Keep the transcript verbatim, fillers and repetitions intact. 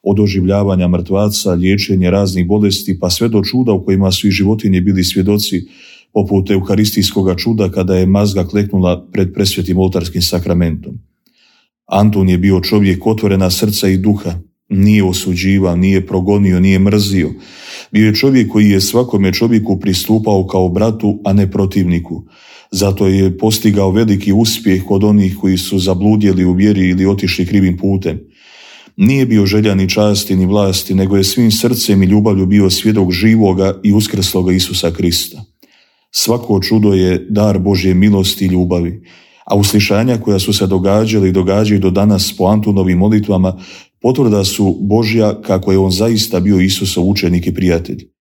od oživljavanja mrtvaca, liječenje raznih bolesti, pa sve do čuda u kojima su i životinje bili svjedoci, poput euharistijskoga čuda kada je mazga kleknula pred presvetim oltarskim sakramentom. Antun je bio čovjek otvorena srca i duha, nije osuđivao, nije progonio, nije mrzio. Bio je čovjek koji je svakome čovjeku pristupao kao bratu, a ne protivniku. Zato je postigao veliki uspjeh kod onih koji su zabludjeli u vjeri ili otišli krivim putem. Nije bio želja ni časti ni vlasti, nego je svim srcem i ljubavlju bio svjedok živoga i uskrsloga Isusa Krista. Svako čudo je dar Božje milosti i ljubavi, a uslišanja koja su se događala i događaju do danas po Antunovim molitvama potvrda su Božja kako je on zaista bio Isusov učenik i prijatelj.